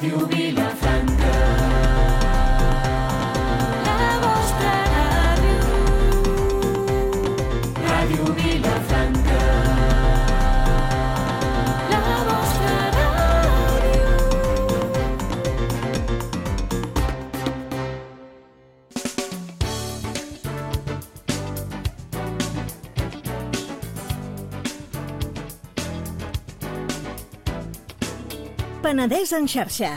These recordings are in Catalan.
Ràdio Vilafranca. La vostra ràdio. Ràdio Vilafranca. La vostra ràdio. Penedès en xarxa,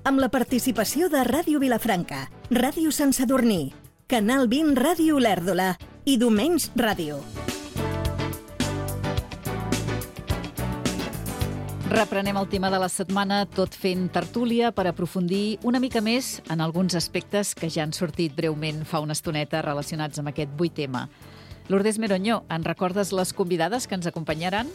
amb la participació de Ràdio Vilafranca, Ràdio Sant Sadurní, Canal 20 Ràdio Olèrdola i Domenys Ràdio. Reprenem el tema de la setmana tot fent tertúlia per aprofundir una mica més en alguns aspectes que ja han sortit breument fa una estoneta relacionats amb aquest 8 tema. Lourdes Meroñó, en recordes les convidades que ens acompanyaran?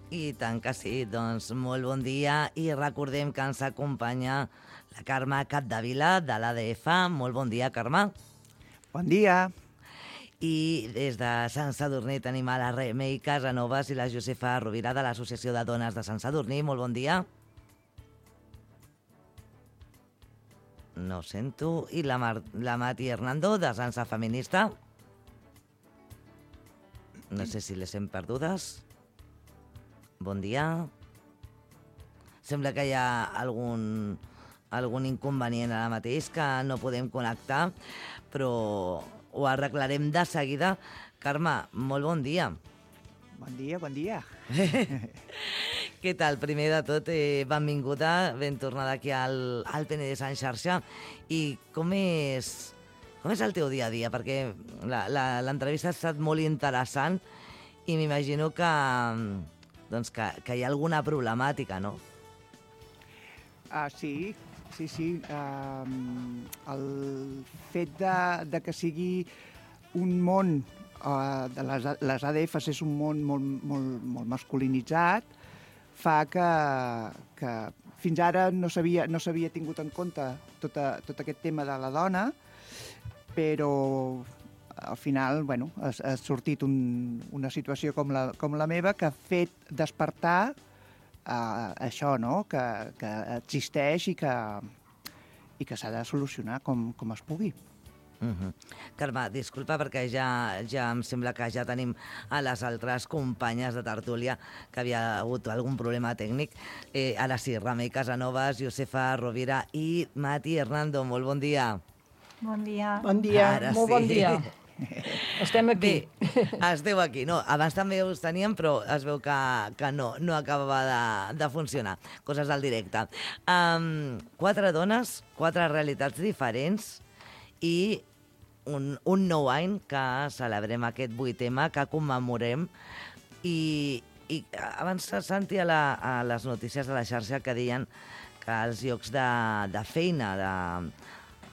I tant que sí, doncs molt bon dia i recordem que ens acompanya la Carme Capdevila de l'ADF. Molt bon dia, Carme. Bon dia. I des de Sant Sadurní tenim a la Remei Casanovas i la Josefa Rovira de l'Associació de Dones de Sant Sadurní. Molt bon dia. No sento. I la Mati Hernando de Sansa Feminista. No sé si les hem perdudes. Bon dia. Sembla que hi ha algun inconvenient ara mateix, que no podem connectar, però ho arreglarem de seguida. Carme, molt bon dia. Bon dia, bon dia. Què tal? Primer de tot, benvinguda, ben tornada aquí al Penedès en xarxa. I com és el teu dia a dia? Perquè l'entrevista ha estat molt interessant i m'imagino que hi ha alguna problemàtica, no? Sí. El fet de que sigui un món, de les ADFs és un món molt masculinitzat, fa que fins ara no s'havia tingut en compte tot aquest tema de la dona, però al final, ha sortit una situació com la meva que ha fet despertar això, no? Que existeix i que s'ha de solucionar com es pugui. Carme, disculpa perquè ja em sembla que ja tenim a les altres companyes de tertúlia que havia hagut algun problema tècnic. Ara sí, Remei Casanovas, Josefa Rovira i Mati Hernando. Molt bon dia. Bon dia. Bon dia, ara molt sí. bon dia. Estem aquí. Bé, esteu aquí. No, abans també us teníem, però es veu que no acabava de funcionar. Coses del directe. 4 dones, 4 realitats diferents i un nou any que celebrem aquest 8M, que commemorem. I abans sentia a les notícies de la xarxa que deien que els llocs de feina,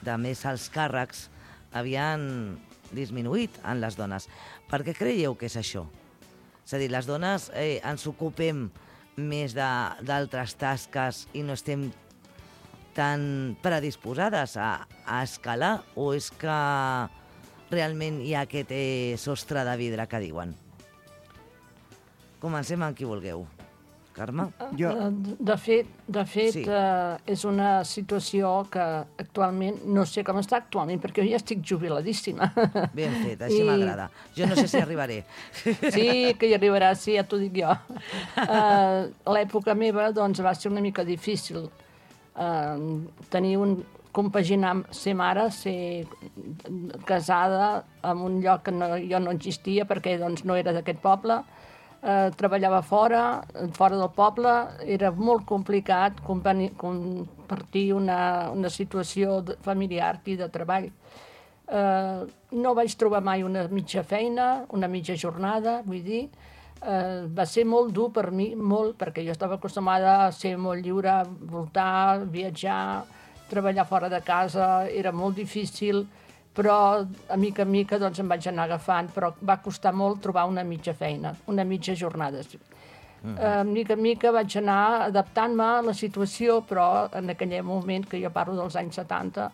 de més alts càrrecs, havien disminuït en les dones. Per què creieu que és això? És a dir, les dones ens ocupem més d'altres tasques i no estem tan predisposades a escalar, o és que realment hi ha aquest sostre de vidre que diuen? Comencem amb qui vulgueu. Carme? De fet, sí. És una situació que actualment, no sé com està actualment, perquè jo ja estic jubiladíssima. Ben fet, així m'agrada. Jo no sé si arribaré. Sí, que hi arribaràs, sí, ja t'ho dic jo. L'època meva, doncs, va ser una mica difícil. Compaginar ser mare, ser casada en un lloc que jo no existia perquè doncs, no era d'aquest poble, treballava fora del poble, era molt complicat compartir una situació familiar i de treball. No vaig trobar mai una mitja feina, una mitja jornada, vull dir. Va ser molt dur per mi, molt, perquè jo estava acostumada a ser molt lliure, voltar, viatjar, treballar fora de casa, era molt difícil, però a mica en mica doncs, em vaig anar agafant, però va costar molt trobar una mitja feina, una mitja jornada. Mica en mica vaig anar adaptant-me a la situació, però en aquell moment, que jo parlo dels anys 70,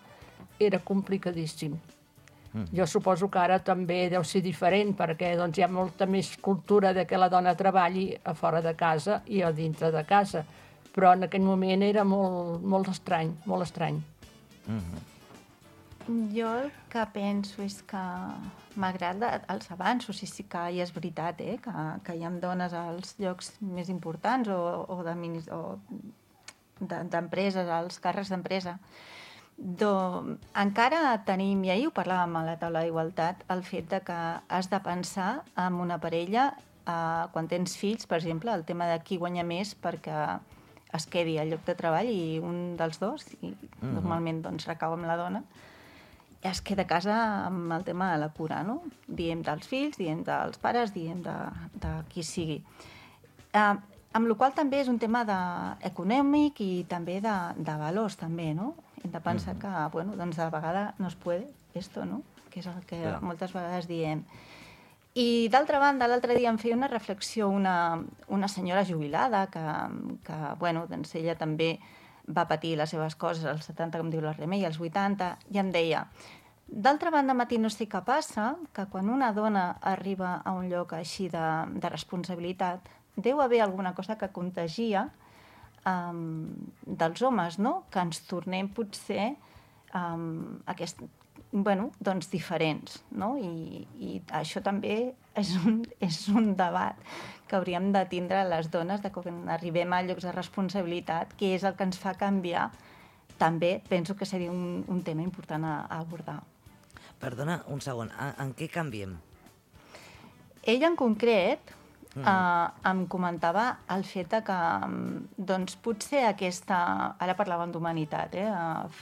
era complicadíssim. Jo suposo que ara també deu ser diferent, perquè doncs, hi ha molta més cultura de que la dona treballi a fora de casa i a dintre de casa. però en aquell moment era molt estrany, molt estrany. Jo el que penso és que m'agrada els avanços, i sí que és veritat que hi ha dones als llocs més importants o d'empreses, als càrrecs d'empresa. Encara tenim, i ahir ho parlàvem a la taula d'igualtat, el fet de que has de pensar en una parella quan tens fills, per exemple, el tema de qui guanya més perquè es quedi al lloc de treball i un dels dos, i normalment doncs, recau amb la dona, es queda a casa amb el tema de la cura, no? Diem dels fills, diem dels pares, diem de qui sigui. Amb la qual també és un tema econòmic i també de valors, també, no? Hem de pensar que, bueno, doncs de vegades no es puede esto, no? Que és el que moltes vegades diem. I d'altra banda, l'altre dia em feia una reflexió una senyora jubilada que bueno, doncs ella també va patir les seves coses als 70, com diu la Remei, als 80, i em deia, d'altra banda, Matí, no sé què passa, que quan una dona arriba a un lloc així de responsabilitat, deu haver alguna cosa que contagia dels homes, no? Que ens tornem potser doncs diferents, no? I això també és un debat que hauríem de tindre les dones de quan arribem a llocs de responsabilitat, que és el que ens fa canviar. També penso que seria un tema important a abordar. Perdona, un segon, en què canviem? Ella en concret em comentava el fet que doncs, potser aquesta, ara parlàvem d'humanitat,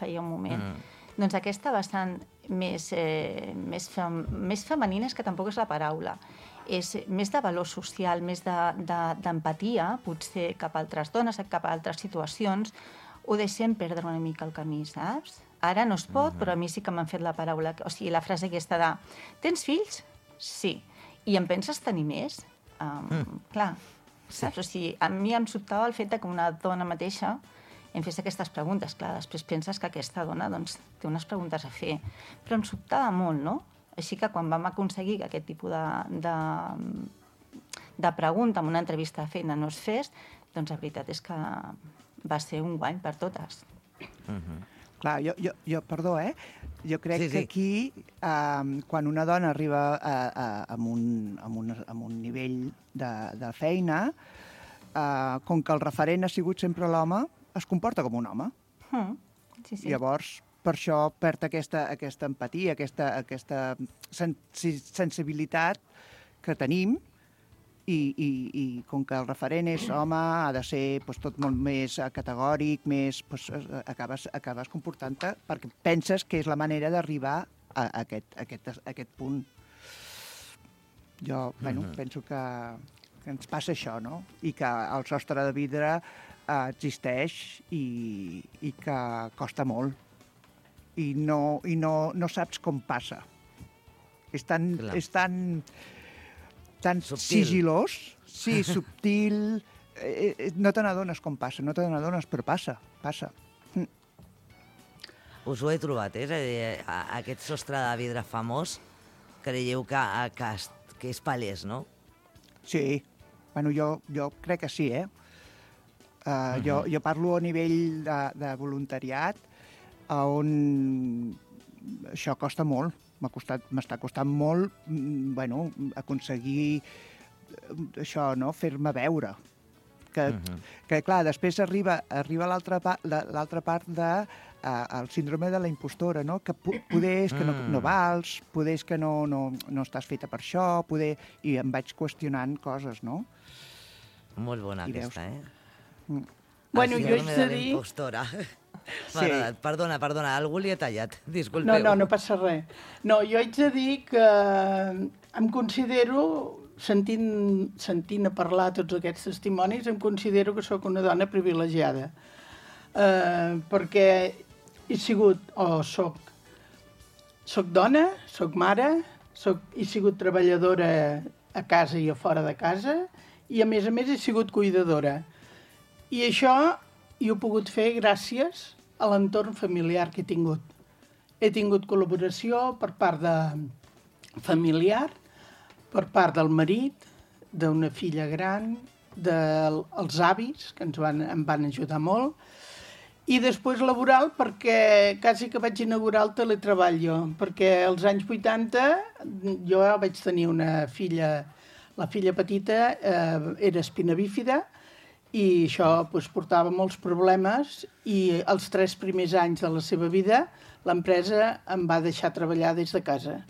feia un moment, doncs aquesta vessant més femenina, és que tampoc és la paraula, és més de valor social, més d'empatia, potser cap a altres dones, cap a altres situacions, ho deixem perdre una mica el camí, saps? Ara no es pot, però a mi sí que m'han fet la paraula, o sigui, la frase aquesta de tens fills? Sí. I en penses tenir més? Clar, saps? O sigui, a mi em sobtava el fet que una dona mateixa em fes aquestes preguntes. Clar, després penses que aquesta dona doncs, té unes preguntes a fer. Però em sobtava molt, no? Així que quan vam aconseguir que aquest tipus de pregunta en una entrevista de feina no es fes, doncs la veritat és que va ser un guany per totes. Clar, jo perdó, jo crec que aquí, quan una dona arriba a un nivell de feina, com que el referent ha sigut sempre l'home, es comporta com un home. Llavors, per això perd aquesta empatia, aquesta sensibilitat que tenim, i com que el referent és home, ha de ser tot molt més categòric, acabes comportant-te perquè penses que és la manera d'arribar a aquest punt. Jo penso que ens passa això, no? I que el sostre de vidre existeix i que costa molt. I no saps com passa. És tan sigilós, sí, subtil, no te n'adones com passa, no te n'adones, però passa. Us ho he trobat, és a dir, aquest sostre de vidre famós, creieu que és palès, no? Sí, bueno, jo crec que sí, Jo parlo a nivell de voluntariat, on això costa molt. M'està costant molt aconseguir això, no? Fer-me veure. Que clar, després arriba l'altra part del síndrome de la impostora, no? Que poder és que no vals, poder és que no estàs feta per això, i em vaig qüestionant coses, no? Molt bona aquesta, Bueno, jo haig de dir... Impostora. Perdona, algú li ha tallat, disculpeu. No passa res. No, jo haig de dir que em considero, sentint a parlar tots aquests testimonis, em considero que sóc una dona privilegiada. Perquè he sigut, soc dona, soc mare, he sigut treballadora a casa i a fora de casa, i a més he sigut cuidadora. I això ho he pogut fer gràcies a l'entorn familiar que he tingut. He tingut col·laboració per part de familiar, per part del marit, d'una filla gran, dels avis, que em van ajudar molt, i després laboral perquè quasi que vaig inaugurar el teletreball jo, perquè als anys 80 jo vaig tenir una filla, la filla petita era espina bífida i això portava molts problemes i els 3 primers anys de la seva vida l'empresa em va deixar treballar des de casa.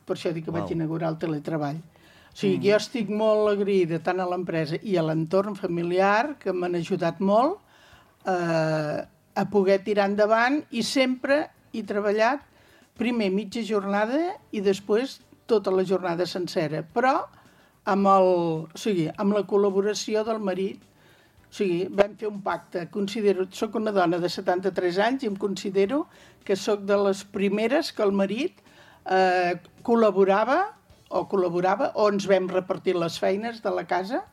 Per això dic que vaig inaugurar el teletreball. O sigui, jo estic molt agraïda tant a l'empresa i a l'entorn familiar que m'han ajudat molt a poder tirar endavant i sempre he treballat primer mitja jornada i després tota la jornada sencera, però amb la col·laboració del marit. O sigui, vam fer un pacte. Soc una dona de 73 anys i em considero que sóc de les primeres que el marit col·laborava o ens vam repartir les feines de la casa,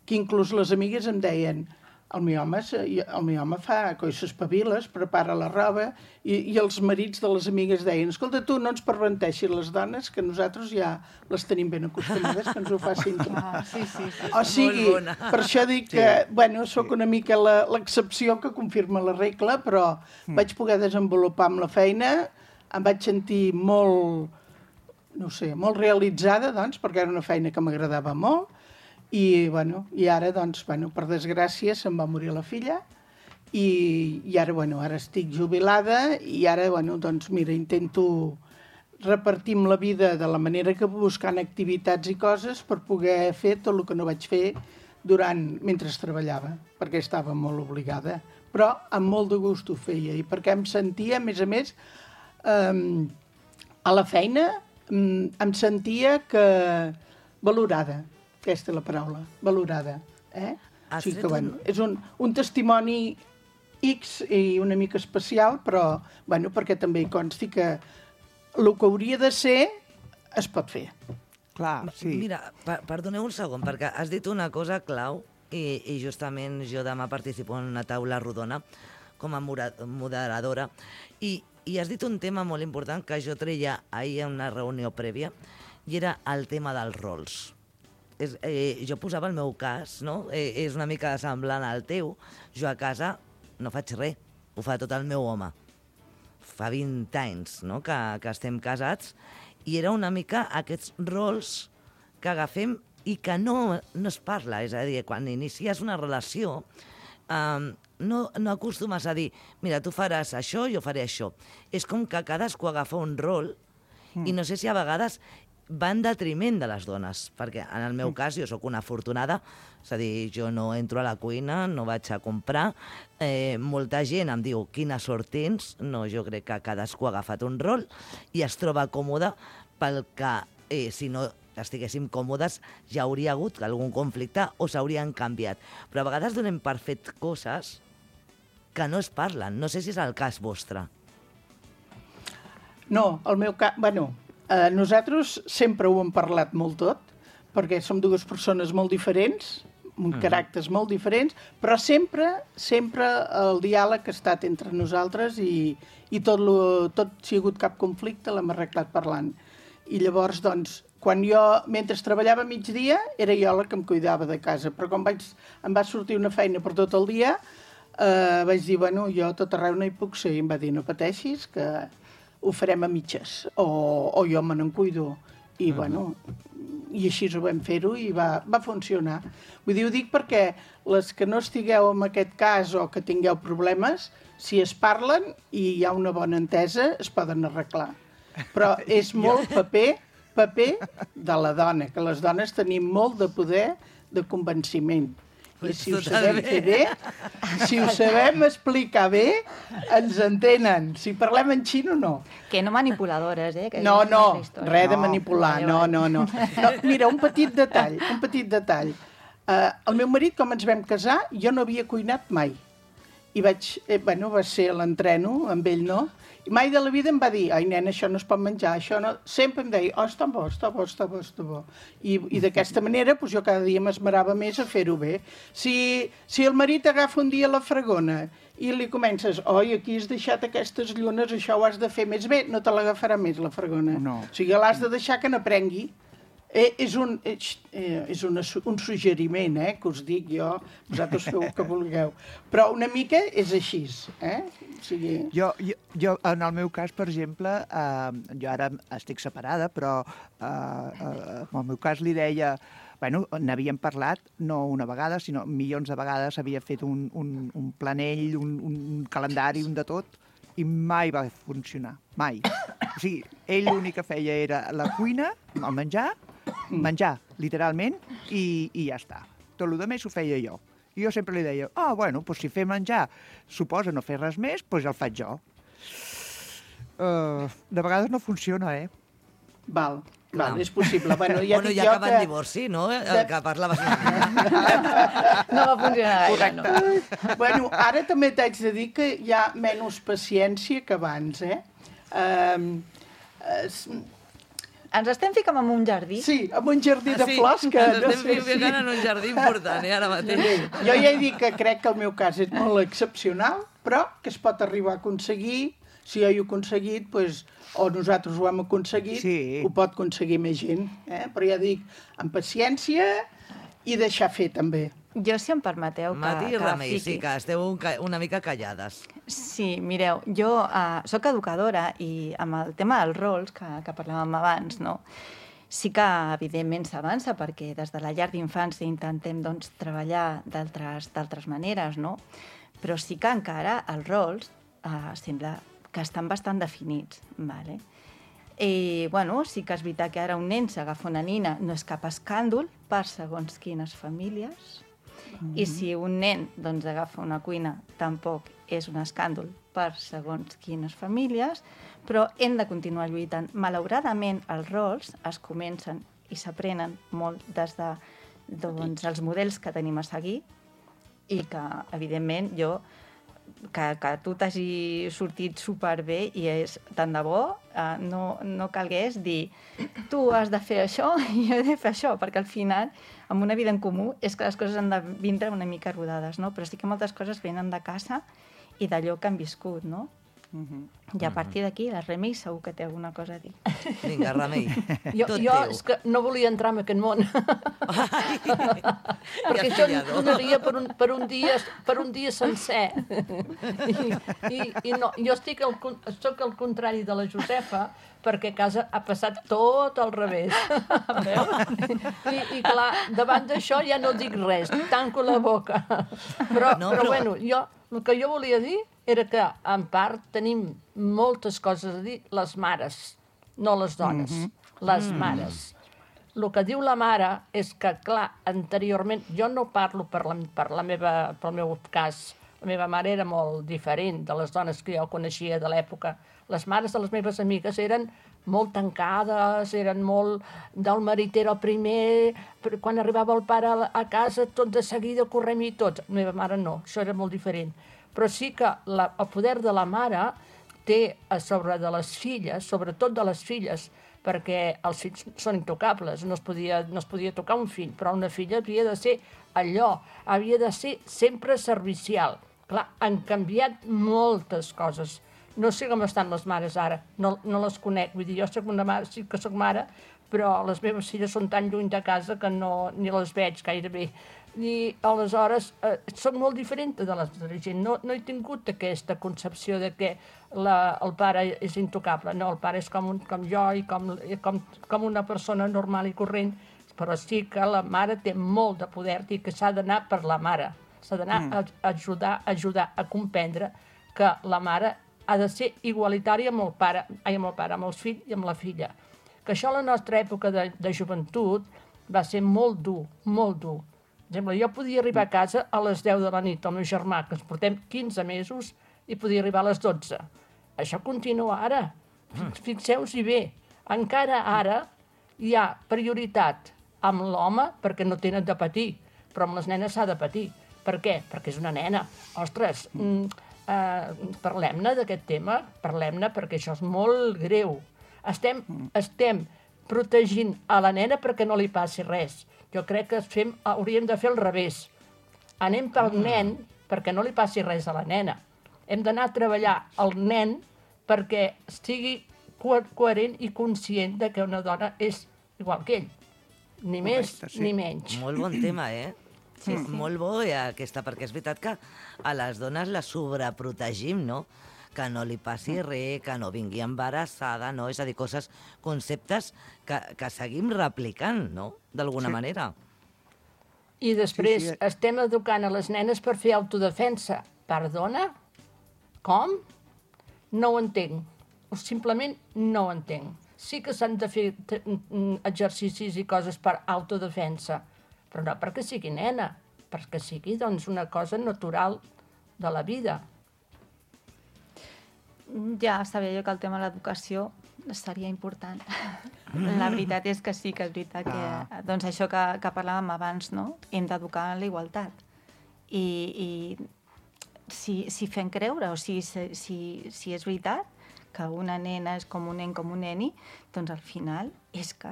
que inclús les amigues em deien el meu home fa coixes paviles, prepara la roba, i els marits de les amigues deien escolta, tu no ens perverteixis les dones, que nosaltres ja les tenim ben acostumades, que ens ho facin tot. O sigui, per això dic que, soc una mica l'excepció que confirma la regla, però vaig poder desenvolupar amb la feina, em vaig sentir molt realitzada, doncs, perquè era una feina que m'agradava molt, i ara, per desgràcia, se'm va morir la filla, i ara, ara estic jubilada, i ara, intento repartir la vida de la manera que buscant activitats i coses per poder fer tot el que no vaig fer mentre treballava, perquè estava molt obligada. Però amb molt de gust ho feia, i perquè em sentia, a més, a la feina, em sentia valorada. Aquesta és la paraula, valorada. O sigui que, és un testimoni X i una mica especial, però perquè també hi consti que el que hauria de ser es pot fer. Clar, sí. Mira, perdoneu un segon, perquè has dit una cosa clau i justament jo demà participo en una taula rodona com a moderadora i has dit un tema molt important que jo treia ahir en una reunió prèvia i era el tema dels rols. Jo posava el meu cas, no? És una mica semblant al teu. Jo a casa no faig res, ho fa tot el meu home. Fa 20 anys, no?, que estem casats, i era una mica aquests rols que agafem i que no es parla. És a dir, quan inicies una relació, no acostumes a dir mira, tu faràs això, jo faré això. És com que cadascú agafa un rol i no sé si a vegades va en detriment de les dones, perquè en el meu cas jo sóc una afortunada, és a dir, jo no entro a la cuina, no vaig a comprar, molta gent em diu quina sort tens, no, jo crec que cadascú ha agafat un rol i es troba còmode pel que si no estiguéssim còmodes ja hauria hagut algun conflicte o s'haurien canviat, però a vegades donem per fet coses que no es parlen, no sé si és el cas vostre. No, el meu cas, nosaltres sempre ho hem parlat molt tot, perquè som dues persones molt diferents, amb caràcters molt diferents, però sempre el diàleg ha estat entre nosaltres i tot si hi ha hagut cap conflicte l'hem arreglat parlant. I llavors, quan jo, mentre treballava migdia, era jo la que em cuidava de casa, però quan em va sortir una feina per tot el dia, vaig dir, jo a tot arreu no hi puc ser, i em va dir, no pateixis, que ho farem a mitges, o jo me n'en cuido. I, i així ho vam fer-ho i va funcionar. Vull dir, ho dic perquè les que no estigueu en aquest cas o que tingueu problemes, si es parlen i hi ha una bona entesa, es poden arreglar. Però és molt paper de la dona, que les dones tenim molt de poder de convenciment. I si ho sabem fer bé, si ho sabem explicar bé, ens entenen. Si parlem en xino, no. Que no manipuladores, Que no, res de manipular, no. Mira, un petit detall. El meu marit, com ens vam casar, jo no havia cuinat mai. I va ser l'entreno, amb ell no, i mai de la vida em va dir, ai nena, això no es pot menjar, això no... Sempre em deia, està bo. I d'aquesta manera, jo cada dia m'esmerava més a fer-ho bé. Si el marit agafa un dia la fregona i li comences, aquí has deixat aquestes llunes, això ho has de fer més bé, no te l'agafarà més la fregona. No. O sigui, l'has de deixar que n'aprengui. És un suggeriment, que us dic jo, vosaltres feu el que vulgueu. Però una mica és així, O sigui... Jo, en el meu cas, per exemple, jo ara estic separada, però en el meu cas li deia... Bueno, n'havíem parlat, no una vegada, sinó milions de vegades, havia fet un planell, un calendari, un de tot, i mai va funcionar, mai. O sigui, ell l'únic que feia era la cuina, el menjar, literalment, i ja està. Tot el més ho feia jo. I jo sempre li deia, bueno, doncs si fer menjar suposa no fer res més, doncs el faig jo. De vegades no funciona, Val, és possible. Bueno, ja acaba en divorci, no? El que parlaves una mica. No va funcionar gaire, no. Bueno, ara també t'haig de dir que hi ha menys paciència que abans, Ens estem ficant en un jardí? Sí, en un jardí de flors que... Ens estem ficant en un jardí important, ara mateix. Jo ja he dit que crec que el meu cas és molt excepcional, però que es pot arribar a aconseguir. Si jo ho he aconseguit, o nosaltres ho hem aconseguit, ho pot aconseguir més gent. Però ja dic, amb paciència i deixar fer, també. Jo, si em permeteu, Mati i Remei, sí, que esteu una mica callades. Sí, mireu, jo sóc educadora i amb el tema dels rols que parlàvem abans, no? Sí que, evidentment, s'avança perquè des de la llar d'infància intentem treballar d'altres maneres, no? Però sí que encara els rols sembla que estan bastant definits, vale? I, bueno, sí que és veritat que ara un nen s'agafa una nina, no és cap escàndol per segons quines famílies, i si un nen agafa una cuina tampoc és un escàndol per segons quines famílies, però hem de continuar lluitant. Malauradament, els rols es comencen i s'aprenen molt des dels models que tenim a seguir i que, evidentment, que tu t'hagi sortit superbé i és tant de bo, no calgués dir tu has de fer això i jo he de fer això, perquè al final, amb una vida en comú, és que les coses han de vindre una mica rodades, no? Però sí que moltes coses venen de casa i d'allò que han viscut, no? I a partir d'aquí, la Remei segur que té alguna cosa a dir. Vinga, Remei, tot jo teu. és que no volia entrar en aquest món. Perquè això donaria per un dia sencer. I no, jo soc al contrari de la Josefa, perquè a casa ha passat tot al revés. I clar, davant d'això ja no dic res, tanco la boca. Però bueno, el que jo volia dir era que, en part, tenim moltes coses a dir les mares, no les dones, les mares. El que diu la mare és que, clar, anteriorment, jo no parlo pel meu cas, la meva mare era molt diferent de les dones que jo coneixia de l'època. Les mares de les meves amigues eren molt tancades, eren molt... del marit era el primer, quan arribava el pare a casa, tot de seguida correm-hi tots. La meva mare no, això era molt diferent. Però sí que el poder de la mare té a sobre de les filles, sobretot de les filles, perquè els fills són intocables, no es podia tocar un fill, però una filla havia de ser allò, havia de ser sempre servicial. Clar, han canviat moltes coses. No sé com estan les mares ara, no les conec, vull dir, jo soc una mare, sí que soc mare, però les meves filles són tan lluny de casa que ni les veig gairebé. I aleshores soc molt diferent de la gent. No he tingut aquesta concepció de que el pare és intocable. No, el pare és com jo i com una persona normal i corrent, però sí que la mare té molt de poder i que s'ha d'anar per la mare. S'ha d'anar a ajudar a comprendre que la mare ha de ser igualitària amb amb els fills i amb la filla. Que això a la nostra època de joventut va ser molt dur, molt dur. Per exemple, jo podia arribar a casa a les 10 de la nit, el meu germà, que ens portem 15 mesos, i podia arribar a les 12. Això continua ara. Fixeu-s'hi bé. Encara ara hi ha prioritat amb l'home perquè no tenen de patir, però amb les nenes s'ha de patir. Per què? Perquè és una nena. Ostres, parlem-ne d'aquest tema, parlem-ne perquè això és molt greu. Estem protegint a la nena perquè no li passi res. Jo crec que hauríem de fer al revés. Anem pel nen perquè no li passi res a la nena. Hem d'anar a treballar el nen perquè estigui coherent i conscient de que una dona és igual que ell. Ni més Correcte, sí. ni menys. Molt bon tema, Sí, molt bo aquesta, perquè és veritat que a les dones les sobreprotegim, no? Que no li passi res, que no vingui embarassada, no? És a dir, conceptes que seguim replicant, no? D'alguna manera. I després Sí. estem educant a les nenes per fer autodefensa. Perdona? Com? No ho entenc. O simplement no ho entenc. Sí que s'han de fer exercicis i coses per autodefensa, però no perquè sigui nena, perquè sigui doncs, una cosa natural de la vida. Ja sabia jo que el tema de l'educació seria important. La veritat és que sí que és veritat que... Doncs això que parlàvem abans, no? Hem d'educar en la igualtat. I si fem creure, o si és veritat que una nena és com un nen, com un neni, doncs al final és que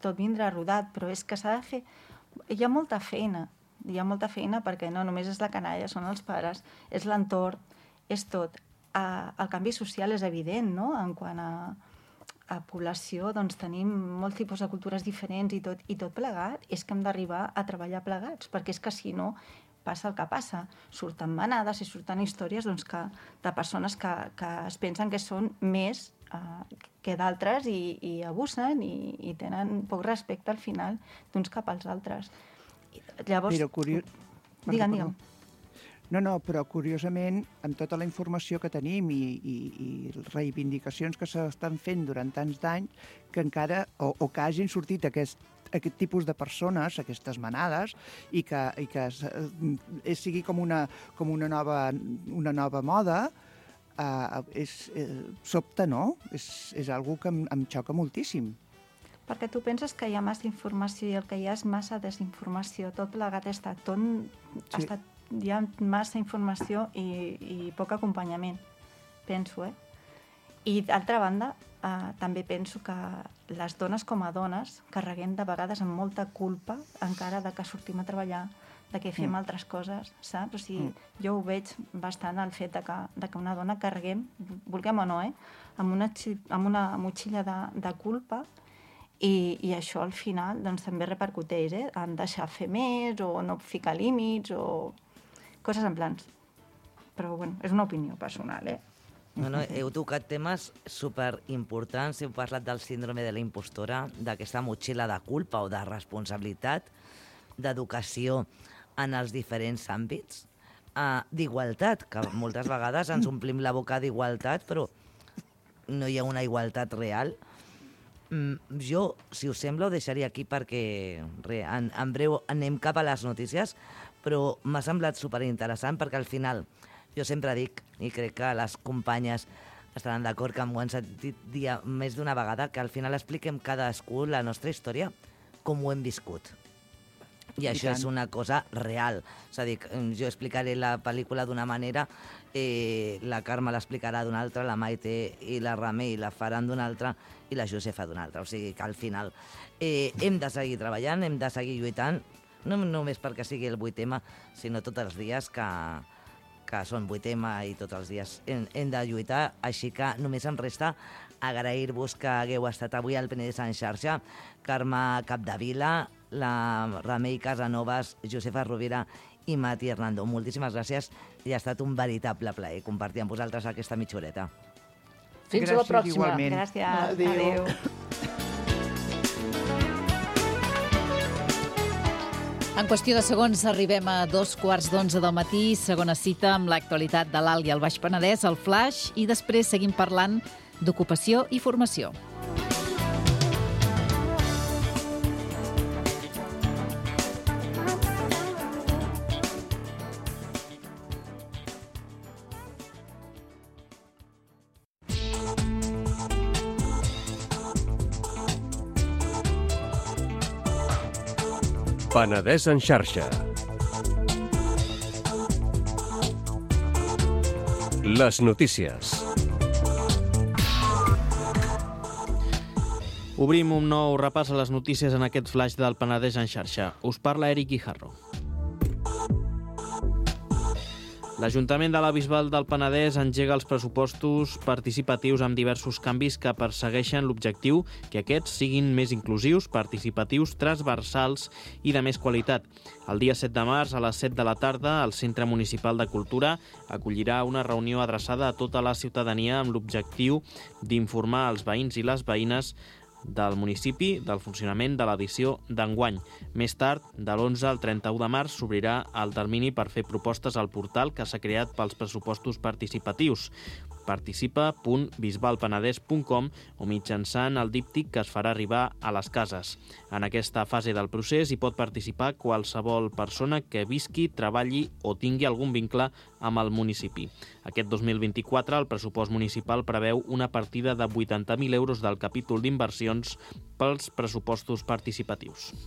tot vindrà rodat, però és que s'ha de fer... Hi ha molta feina perquè no només és la canalla, són els pares, és l'entorn, és tot. El canvi social és evident, no? En quant a població, doncs tenim molts tipus de cultures diferents i tot plegat, és que hem d'arribar a treballar plegats, perquè és que si no passa el que passa. Surten manades i surten històries doncs, de persones que es pensen que són més que d'altres i abusen i tenen poc respecte al final d'uns cap als altres. Llavors... Però Digue'm. No, però curiosament, amb tota la informació que tenim i reivindicacions que s'estan fent durant tants d'anys, que encara, o que hagin sortit aquest tipus de persones, aquestes manades, i que sigui com una nova moda, sobta, no? És algo que em xoca moltíssim. Perquè tu penses que hi ha massa informació i el que hi ha és massa desinformació. Tot plegat hi ha massa informació i poc acompanyament, penso, I d'altra banda, també penso que les dones com a dones carreguem de vegades amb molta culpa encara de que sortim a treballar, de que fem altres coses, saps? O sigui, jo ho veig bastant el fet de que una dona carreguem, vulguem o no, amb una motxilla de culpa i això al final doncs, també repercuteix en deixar fer més o no ficar límits o coses en plans. Però, bueno, és una opinió personal, Bueno, heu tocat temes superimportants. Heu parlat del síndrome de la impostora, d'aquesta motxilla de culpa o de responsabilitat, d'educació en els diferents àmbits, d'igualtat, que moltes vegades ens omplim la boca d'igualtat, però no hi ha una igualtat real. Jo, si us sembla, ho deixaria aquí perquè en breu anem cap a les notícies, però m'ha semblat superinteressant perquè al final jo sempre dic, i crec que les companyes estaran d'acord que m'ho han sentit dir més d'una vegada, que al final expliquem cadascú la nostra història com ho hem viscut. I això és una cosa real. És a dir, jo explicaré la pel·lícula d'una manera, la Carme l'explicarà d'una altra, la Maite i la Remei la faran d'una altra i la Josefa d'una altra. O sigui que al final hem de seguir treballant, hem de seguir lluitant, no només perquè sigui el 8M, sinó tots els dies que són 8M i tots els dies hem de lluitar. Així que només em resta agrair-vos que hagueu estat avui al Penedès en xarxa. Carme Capdevila, la Remei Casanovas, Josefa Rovira i Mati Hernando. Moltíssimes gràcies i ha estat un veritable plaer compartir amb vosaltres aquesta mitja horeta. Fins a la pròxima. Igualment. Gràcies. Adéu. En qüestió de segons arribem a 2:15 del matí, segona cita amb l'actualitat de l'Alt i el Baix Penedès, el Flaix, i després seguim parlant d'ocupació i formació. Penedès en xarxa. Les notícies. Obrim un nou repàs a les notícies en aquest flaix del Penedès en xarxa. Us parla Eric Guijarro. L'Ajuntament de la Bisbal del Penedès engega els pressupostos participatius amb diversos canvis que persegueixen l'objectiu que aquests siguin més inclusius, participatius, transversals i de més qualitat. El dia 7 de març, a les 7 de la tarda, el Centre Municipal de Cultura acollirà una reunió adreçada a tota la ciutadania amb l'objectiu d'informar els veïns i les veïnes del municipi del funcionament de l'edició d'enguany. Més tard, de l'11 al 31 de març, s'obrirà el termini per fer propostes al portal que s'ha creat pels pressupostos participatius. Participa.bisbalpenedès.com o mitjançant el díptic que es farà arribar a les cases. En aquesta fase del procés hi pot participar qualsevol persona que visqui, treballi o tingui algun vincle amb el municipi. Aquest 2024 el pressupost municipal preveu una partida de 80.000 euros del capítol d'inversions pels pressupostos participatius.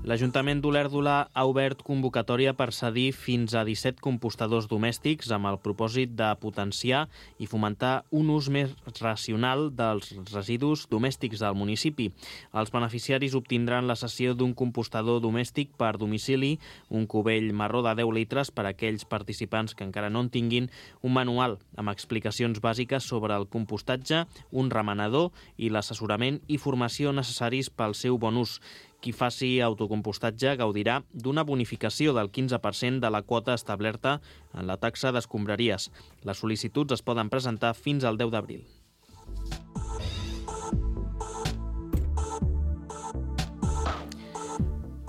L'Ajuntament d'Olèrdola ha obert convocatòria per cedir fins a 17 compostadors domèstics amb el propòsit de potenciar i fomentar un ús més racional dels residus domèstics del municipi. Els beneficiaris obtindran la cessió d'un compostador domèstic per domicili, un cubell marró de 10 litres per a aquells participants que encara no en tinguin, un manual amb explicacions bàsiques sobre el compostatge, un remenador i l'assessorament i formació necessaris pel seu bon ús. Qui faci autocompostatge gaudirà d'una bonificació del 15% de la quota establerta en la taxa d'escombraries. Les sol·licituds es poden presentar fins al 10 d'abril.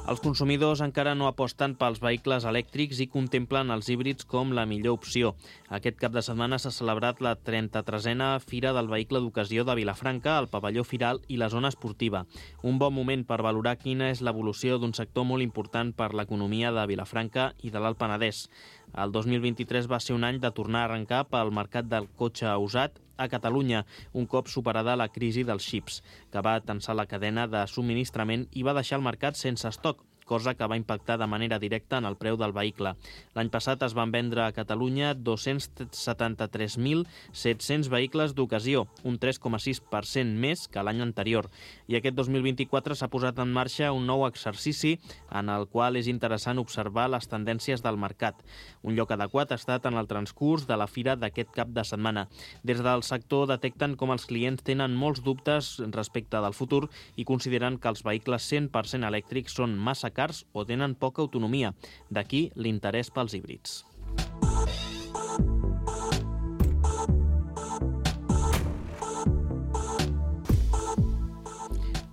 Els consumidors encara no aposten pels vehicles elèctrics i contemplen els híbrids com la millor opció. Aquest cap de setmana s'ha celebrat la 33a Fira del Vehicle d'Ocasió de Vilafranca, el pavelló Firal i la zona esportiva. Un bon moment per valorar quina és l'evolució d'un sector molt important per l'economia de Vilafranca i de l'Alt Penedès. El 2023 va ser un any de tornar a arrencar pel mercat del cotxe usat a Catalunya, un cop superada la crisi dels xips, que va tensar la cadena de subministrament i va deixar el mercat sense estoc, cosa que va impactar de manera directa en el preu del vehicle. L'any passat es van vendre a Catalunya 273.700 vehicles d'ocasió, un 3,6% més que l'any anterior. I aquest 2024 s'ha posat en marxa un nou exercici en el qual és interessant observar les tendències del mercat. Un lloc adequat ha estat en el transcurs de la fira d'aquest cap de setmana. Des del sector detecten com els clients tenen molts dubtes respecte del futur i consideren que els vehicles 100% elèctrics són massa cars o tenen poca autonomia. D'aquí l'interès pels híbrids.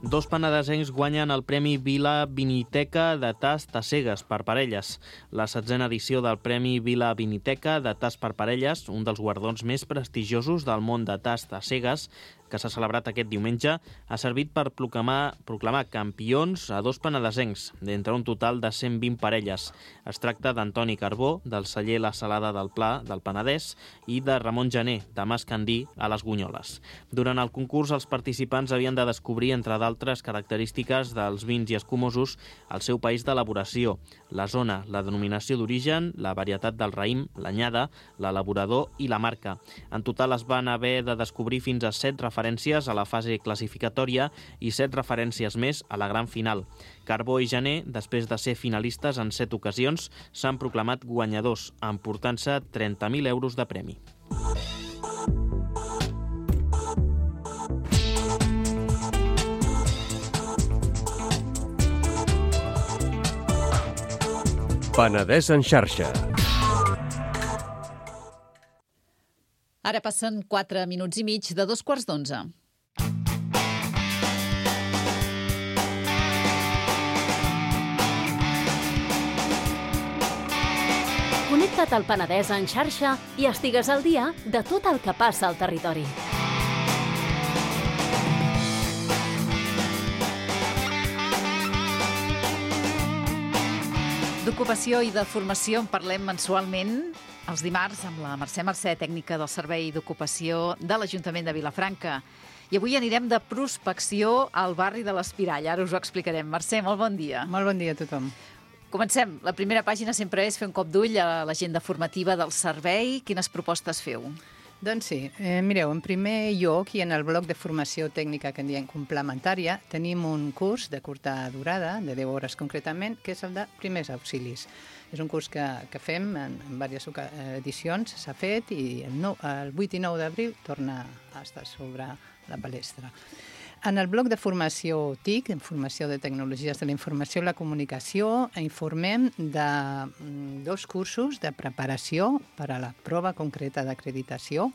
Dos penedesencs guanyen el Premi Vila Viniteca de tast a cegues per parelles. La 7a edició del Premi Vila Viniteca de tast per parelles, un dels guardons més prestigiosos del món de tast a cegues, que s'ha celebrat aquest diumenge, ha servit per proclamar campions a dos penedesencs, d'entre un total de 120 parelles. Es tracta d'Antoni Carbó, del celler La Salada del Pla, del Penedès, i de Ramon Janer, de Mas Candí, a les Gunyoles. Durant el concurs, els participants havien de descobrir, entre d'altres característiques dels vins i escumosos, el seu país d'elaboració, la zona, la denominació d'origen, la varietat del raïm, l'anyada, l'elaborador i la marca. En total es van haver de descobrir fins a 7 referències a la fase classificatòria i 7 referències més a la gran final. Carbó i Janer, després de ser finalistes en 7 ocasions, s'han proclamat guanyadors, emportant-se 30.000 euros de premi. Penedès en xarxa. Ara passen 4 minuts i mig de 11:15. Connecta't al Penedès en xarxa i estigues al dia de tot el que passa al territori. D'ocupació i de formació en parlem mensualment els dimarts amb la Mercè, tècnica del Servei d'Ocupació de l'Ajuntament de Vilafranca. I avui anirem de prospecció al barri de l'Espirall. Ara us ho explicarem. Mercè, molt bon dia. Molt bon dia a tothom. Comencem. La primera pàgina sempre és fer un cop d'ull a l'agenda formativa del servei. Quines propostes feu? Doncs sí, mireu, en primer lloc i en el bloc de formació tècnica que en diem complementària tenim un curs de curta durada, de 10 hores concretament, que és el de primers auxilis. És un curs que fem en diverses edicions, s'ha fet i el 8 i 9 d'abril torna a estar sobre la palestra. En el bloc de formació TIC, en formació de tecnologies de la informació i la comunicació, informem de 2 cursos de preparació per a la prova concreta d'acreditació.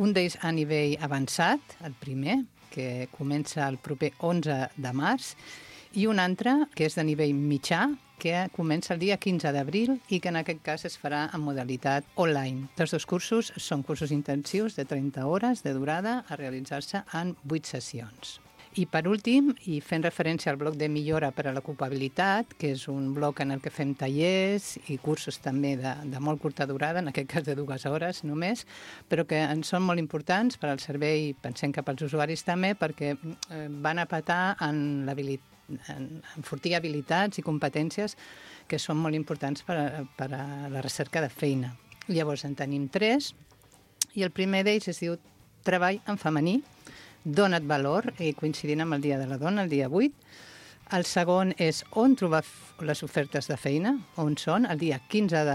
Un d'ells a nivell avançat, el primer, que comença el proper 11 de març, i un altre, que és de nivell mitjà, que comença el dia 15 d'abril i que en aquest cas es farà en modalitat online. Tots 2 cursos són cursos intensius de 30 hores de durada a realitzar-se en 8 sessions. I per últim, i fent referència al bloc de millora per a l'ocupabilitat, que és un bloc en el que fem tallers i cursos també de molt curta durada, en aquest cas de 2 hores només, però que en són molt importants per al servei, pensem que pels usuaris també, perquè van a petar en l'habilitat, enfortir habilitats i competències que són molt importants per a la recerca de feina. Llavors en tenim 3 i el primer d'ells es diu Treball en femení, dona't valor, i coincidint amb el Dia de la Dona, el dia 8. El segon és on trobar les ofertes de feina, on són, el dia 15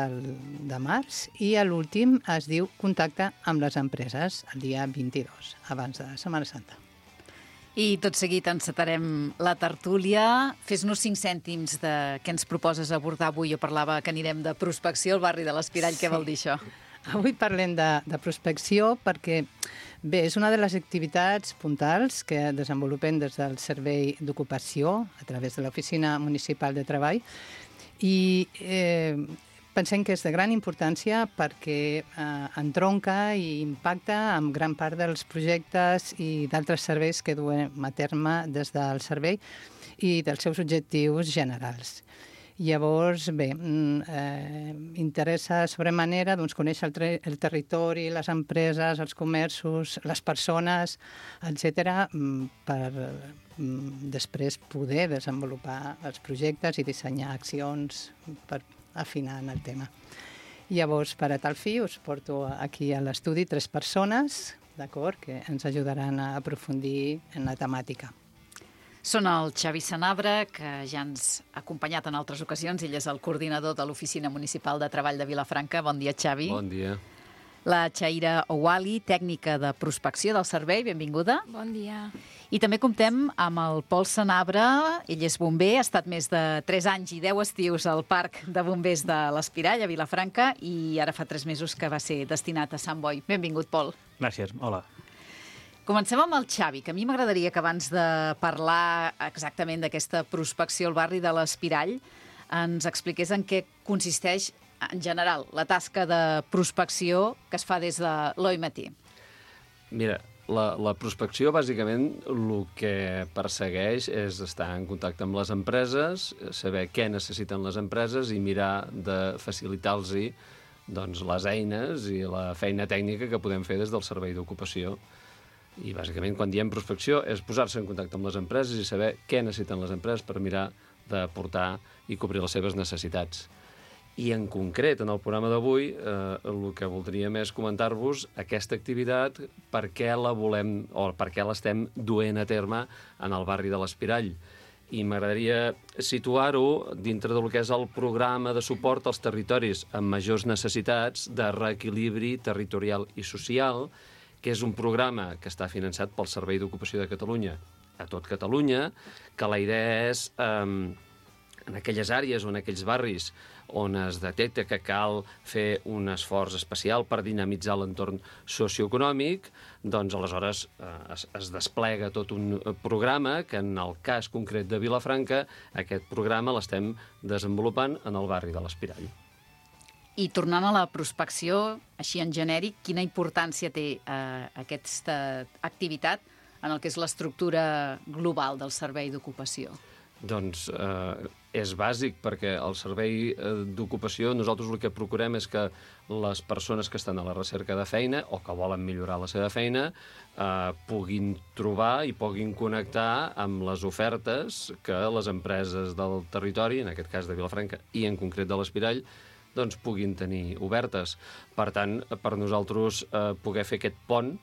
de març, i l'últim es diu Contacte amb les empreses, el dia 22, abans de Setmana Santa. I tot seguit encetarem la tertúlia. Fes-nos 5 cèntims de què ens proposes abordar avui. Jo parlava que anirem de prospecció al barri de l'Espirall. Què vol dir això? Avui parlem de prospecció perquè, bé, és una de les activitats puntals que desenvolupem des del Servei d'Ocupació a través de l'Oficina Municipal de Treball i pensem que és de gran importància perquè entronca i impacta amb gran part dels projectes i d'altres serveis que duem a terme des del servei i dels seus objectius generals. Llavors, bé, interessa sobremanera conèixer el territori, les empreses, els comerços, les persones, etc., per després poder desenvolupar els projectes i dissenyar accions per afinar en el tema. Llavors, per a tal fi, us porto aquí a l'estudi 3 persones, d'acord, que ens ajudaran a aprofundir en la temàtica. Són el Xavi Sanabra, que ja ens ha acompanyat en altres ocasions. Ell és el coordinador de l'Oficina Municipal de Treball de Vilafranca. Bon dia, Xavi. Bon dia. La Chaira Ouali, tècnica de prospecció del servei. Benvinguda. Bon dia. I també comptem amb el Pol Sanabra. Ell és bomber, ha estat més de 3 anys i 10 estius al Parc de Bombers de l'Espirall, a Vilafranca, i ara fa 3 mesos que va ser destinat a Sant Boi. Benvingut, Pol. Gràcies. Hola. Comencem amb el Xavi, que a mi m'agradaria que abans de parlar exactament d'aquesta prospecció al barri de l'Espirall ens expliqués en què consisteix, en general, la tasca de prospecció que es fa des de l'OIMT. Mira, la prospecció, bàsicament, el que persegueix és estar en contacte amb les empreses, saber què necessiten les empreses i mirar de facilitar-los les eines i la feina tècnica que podem fer des del Servei d'Ocupació. I, bàsicament, quan diem prospecció és posar-se en contacte amb les empreses i saber què necessiten les empreses per mirar d'aportar i cobrir les seves necessitats. I, en concret, en el programa d'avui, el que voldríem és comentar-vos aquesta activitat, per què la volem o per què l'estem duent a terme en el barri de l'Espirall. I m'agradaria situar-ho dintre del que és el programa de suport als territoris amb majors necessitats de reequilibri territorial i social, que és un programa que està finançat pel Servei d'Ocupació de Catalunya a tot Catalunya, que la idea és, en aquelles àrees o en aquells barris on es detecta que cal fer un esforç especial per dinamitzar l'entorn socioeconòmic, doncs aleshores es desplega tot un programa que en el cas concret de Vilafranca, aquest programa l'estem desenvolupant en el barri de l'Espirall. I tornant a la prospecció, així en genèric, quina importància té aquesta activitat en el que és l'estructura global del servei d'ocupació? Doncs és bàsic, perquè el servei d'ocupació, nosaltres el que procurem és que les persones que estan a la recerca de feina o que volen millorar la seva feina puguin trobar i puguin connectar amb les ofertes que les empreses del territori, en aquest cas de Vilafranca i en concret de l'Espirall, doncs puguin tenir obertes. Per tant, per nosaltres poder fer aquest pont,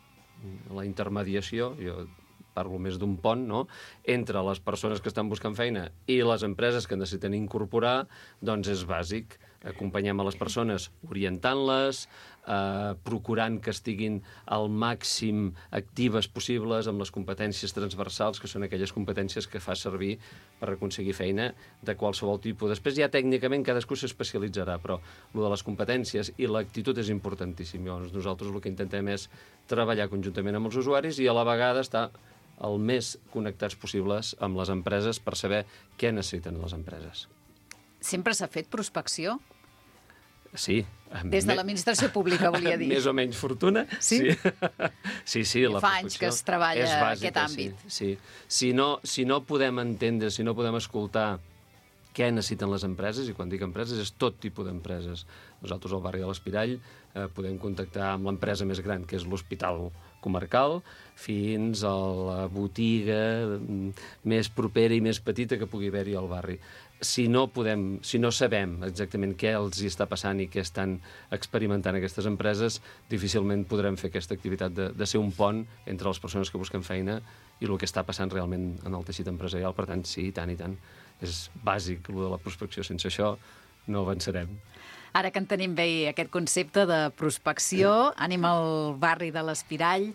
la intermediació, jo parlo més d'un pont, no?, entre les persones que estan buscant feina i les empreses que necessiten incorporar, doncs és bàsic. Acompanyem a les persones orientant-les, procurant que estiguin al màxim actives possibles amb les competències transversals, que són aquelles competències que fa servir per aconseguir feina de qualsevol tipus. Després ja tècnicament cadascú s'especialitzarà, però el de les competències i l'actitud és importantíssim. Llavors nosaltres el que intentem és treballar conjuntament amb els usuaris i a la vegada estar el més connectats possibles amb les empreses per saber què necessiten les empreses. Sempre s'ha fet prospecció? Sí. Des de l'administració pública, volia dir. Més o menys fortuna. Sí? Sí, la fa anys que es treballa aquest àmbit. Sí. Si no podem entendre, si no podem escoltar què necessiten les empreses, i quan dic empreses és tot tipus d'empreses. Nosaltres al barri de l'Espirall podem contactar amb l'empresa més gran, que és l'Hospital Comarcal, fins a la botiga més propera i més petita que pugui haver-hi al barri. Si no sabem exactament què els hi està passant i què estan experimentant aquestes empreses, difícilment podrem fer aquesta activitat de ser un pont entre les persones que busquen feina i el que està passant realment en el teixit empresarial. Per tant, sí, i tant. És bàsic, el de la prospecció. Sense això no avançarem. Ara que entenem bé aquest concepte de prospecció, anem al barri de l'Espirall.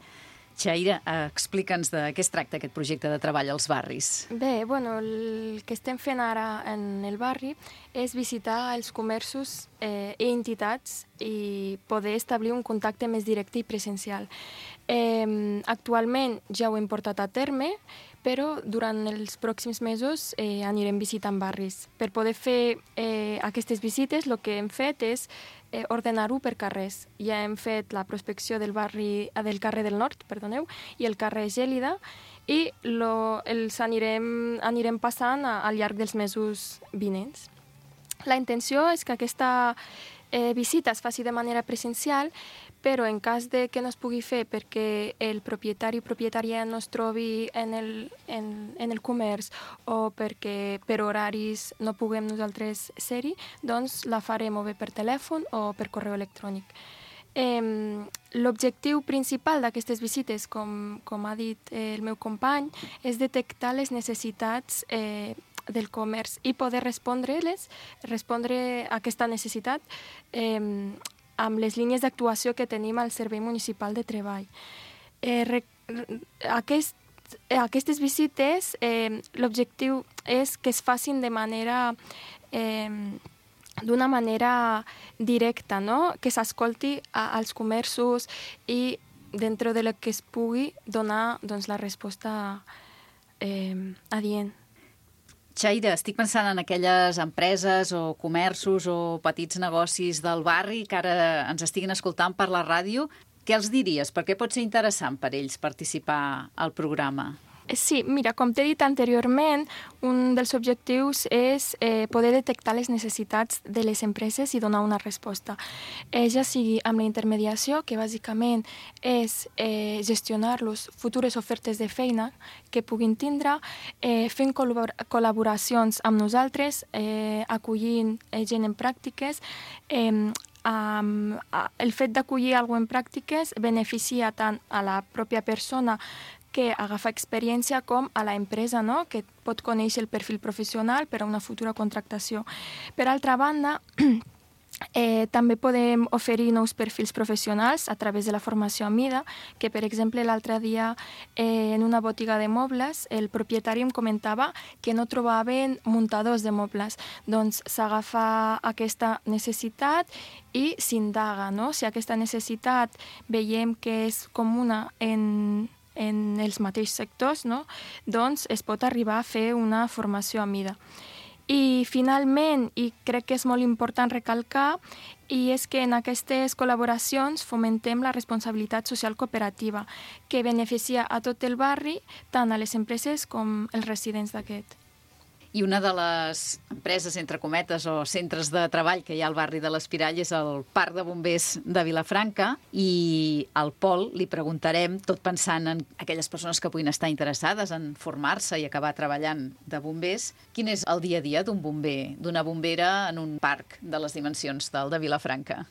Xaira, explica'ns de què es tracta aquest projecte de treball als barris. Bé, el que estem fent ara en el barri és visitar els comerços i entitats i poder establir un contacte més directe i presencial. Actualment ja ho hem portat a terme, però durant els pròxims mesos anirem visitant barris. Per poder fer aquestes visites, el que hem fet és ordenar-ho per carrers. Ja hem fet la prospecció del carrer del Nord, i el carrer Gèlida, i els anirem passant al llarg dels mesos vinents. La intenció és que aquesta visita es faci de manera presencial, però en cas de que no es pugui fer perquè el propietari o propietària no es trobi en el comerç o perquè per horaris no puguem nosaltres ser-hi, doncs la farem o bé per telèfon o per correu electrònic. L'objectiu principal d'aquestes visites, com ha dit el meu company, és detectar les necessitats del comerç i poder respondre a aquesta necessitat amb les línies d'actuació que tenim al Servei Municipal de Treball. Aquestes visites, l'objectiu és que es facin d'una manera directa, no? Que s'escolti als comerços i dintre de la que es pugui donar la resposta adient. Xaira, estic pensant en aquelles empreses o comerços o petits negocis del barri que ara ens estiguin escoltant per la ràdio. Què els diries? Per què pot ser interessant per ells participar al programa? Sí, mira, com t'he dit anteriorment, un dels objectius és poder detectar les necessitats de les empreses i donar una resposta. Ja sigui amb la intermediació, que bàsicament és gestionar les futures ofertes de feina que puguin tindre, fent col·laboracions amb nosaltres, acollint gent en pràctiques. El fet d'acollir alguna cosa en pràctiques beneficia tant a la pròpia persona que agafa experiència com a l'empresa, no? Que pot conèixer el perfil professional per a una futura contractació. Per altra banda, també podem oferir nous perfils professionals a través de la formació a mida, que per exemple l'altre dia en una botiga de mobles el propietari em comentava que no trobaven muntadors de mobles. Doncs s'agafa aquesta necessitat i s'indaga, no? Si aquesta necessitat veiem que és comuna en els mateixos sectors, no? Doncs es pot arribar a fer una formació a mida. I finalment, i crec que és molt important recalcar, i és que en aquestes col·laboracions fomentem la responsabilitat social cooperativa, que beneficia a tot el barri, tant a les empreses com els residents d'aquest. I una de les empreses, entre cometes, o centres de treball que hi ha al barri de l'Espirall és el Parc de Bombers de Vilafranca, i al Pol li preguntarem, tot pensant en aquelles persones que puguin estar interessades en formar-se i acabar treballant de bombers, quin és el dia a dia d'un bomber, d'una bombera en un parc de les dimensions del de Vilafranca?